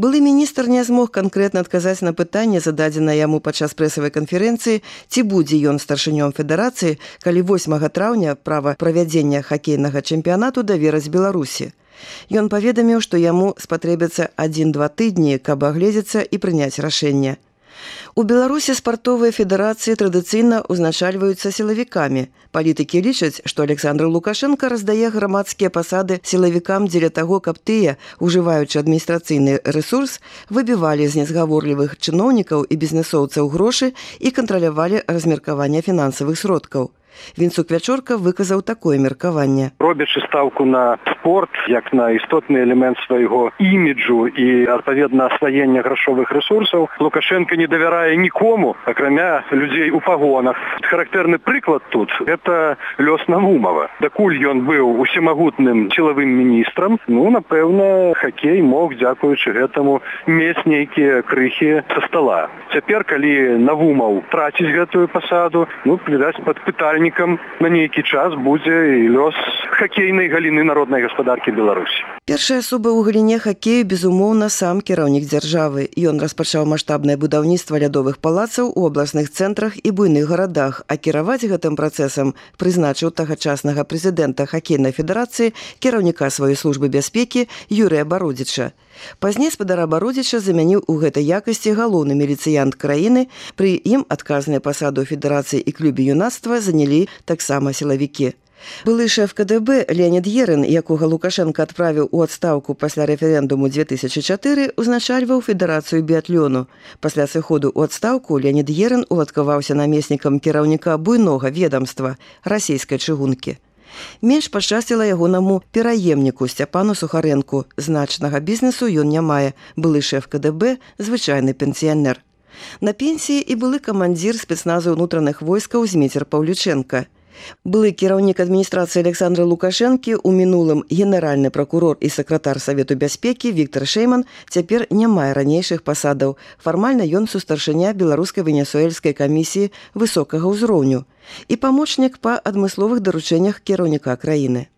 Былы міністр не змог канкрэтна адказаць на пытанне, зададзенае яму падчас прэсавай канферэнцыі, ці будзе ён старшынём федэрацыі, калі 8 траўня права правядзення хакейнага чэмпіянату давераць Беларусі. Ён паведаміў, што яму спатрэбяцца 1-2 тыдні, каб агледзецца і прыняць рашэнне. У Беларусі спартовыя федэрацыі традыцыйна ўзначальваюцца сілавікамі. Палітыкі лічаць, што Александр Лукашенко раздае грамадскія пасады сілавікам дзеля таго, каб тыя, ужываючы адміністрацыйны рэсурс, выбівалі з незгаворлівых чыноўнікаў і бізнесоўцаў грошы і кантралявалі размеркаванне фінансавых сродкаў. Вінцук Вячорка выказаў такое меркаванне. Робячы стаўку на спорт, як на істотны элемент свайго іміджу і, адпаведна, асваення грашовых рэсурсаў, Лукашенко не давярае нікому, акрамя людзей у пагонах. Характэрны прыклад тут – гэта лёс Навумова. Дакуль ён быў усемагутным сілавым міністрам, напэўна, хакей мог, дзякуючы гэтаму, мець нейкія крыхі са стала. Цяпер, калі Навумаў траціць гэтую пасаду, відаць, пад пытальнікам на нейкі час будзе і лёс хакейнай галіны народнай гаспадаркі Беларусі. Першая асоба ў галіне хакею, безумоўна, сам кіраўнік дзяржавы. Ён распачаў маштабнае будаўніцтва лядовых палацаў у абласных цэнтрах і буйных гарадах, а кіраваць гэтым працэсам прызначыў тагачаснага прэзідэнта хакейнай федэрацыі, кіраўніка сваёй службы бяспекі Юрыя Бародзіча. Пазней спадара Бародзіча замяніў у гэтай якасці галоўны міліцыянт краіны, пры ім адказныя пасады ў федэрацыі і клубе юнацтва занялі таксама сілавікі. Былы шэф КДБ Леонід Ерын, якога Лукашенко адправіў у адстаўку пасля рэферэндуму 2004, узначальваў федэрацыю біятлёну. Пасля сыходу ў адстаўку Леонід Ерын уладкаваўся намеснікам кіраўніка буйнога ведамства расійскай чыгункі. Менш пашчасціла ягонаму пераемніку Сцяпану Сухарэнку. Значнага бізнесу ён не мае. Былы шэф КДБ – звычайны пенсіянер. На пенсіі і былы камандзір спецназу ўнутраных войскаў Зміцер Паўлючэнка. Былы кіраўнік адміністрацыі Александра Лукашэнкі, у мінулым генеральны пракурор і сакратар Савету бяспекі Віктор Шэйман цяпер не мае ранейшых пасадаў. Фармальна ён сустаршыня беларускай венесуэльскай камісіі высокага ўзроўню і памочнік па адмысловых даручэннях кіраўніка краіны.